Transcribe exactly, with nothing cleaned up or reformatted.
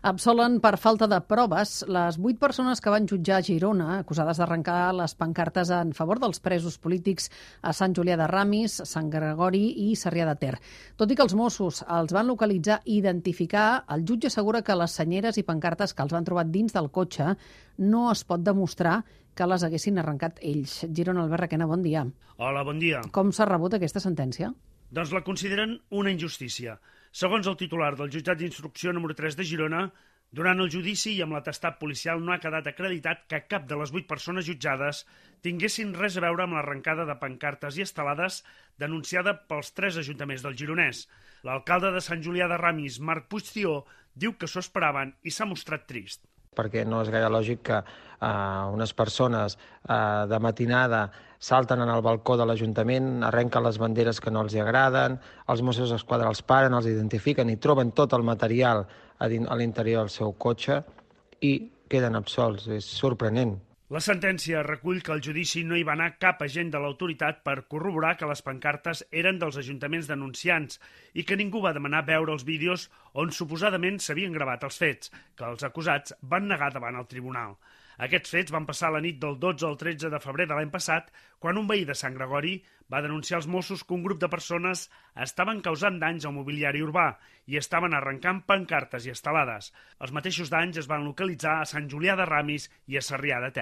Absolen per falta de proves les vuit persones que van jutjar a Girona, acusades d'arrencar les pancartes en favor dels presos polítics a Sant Julià de Ramis, Sant Gregori i Sarrià de Ter. Tot i que els Mossos els van localitzar i identificar, el jutge assegura que les senyeres i pancartes que els van trobar dins del cotxe no es pot demostrar que les haguessin arrencat ells. Girona, Albert Requena, bon dia. Hola, bon dia. Com s'ha rebut aquesta sentència? Doncs la consideren una injustícia. Segons el titular del jutjat d'instrucció número tres de Girona, durant el judici i amb l'atestat policial no ha quedat acreditat que cap de les vuit persones jutjades tinguessin res a veure amb l'arrencada de pancartes i estelades denunciada pels tres ajuntaments del Gironès. L'alcalde de Sant Julià de Ramis, Marc Puigció, diu que s'ho esperaven i s'ha mostrat trist. Perquè no és gaire lògic que uh, unes persones uh, de matinada salten en el balcó de l'Ajuntament, arrenquen les banderes que no els agraden, els Mossos d'Esquadra els paren, els identifiquen i troben tot el material a, a l'interior del seu cotxe i queden absolts. És sorprenent. La sentència recull que al judici no hi va anar cap agent de l'autoritat per corroborar que les pancartes eren dels ajuntaments denunciants i que ningú va demanar veure els vídeos on suposadament s'havien gravat els fets, que els acusats van negar davant el tribunal. Aquests fets van passar la nit del dotze al tretze de febrer de l'any passat, quan un veí de Sant Gregori va denunciar als Mossos que un grup de persones estaven causant danys al mobiliari urbà i estaven arrencant pancartes i estelades. Els mateixos danys es van localitzar a Sant Julià de Ramis i a Sarrià de Ter.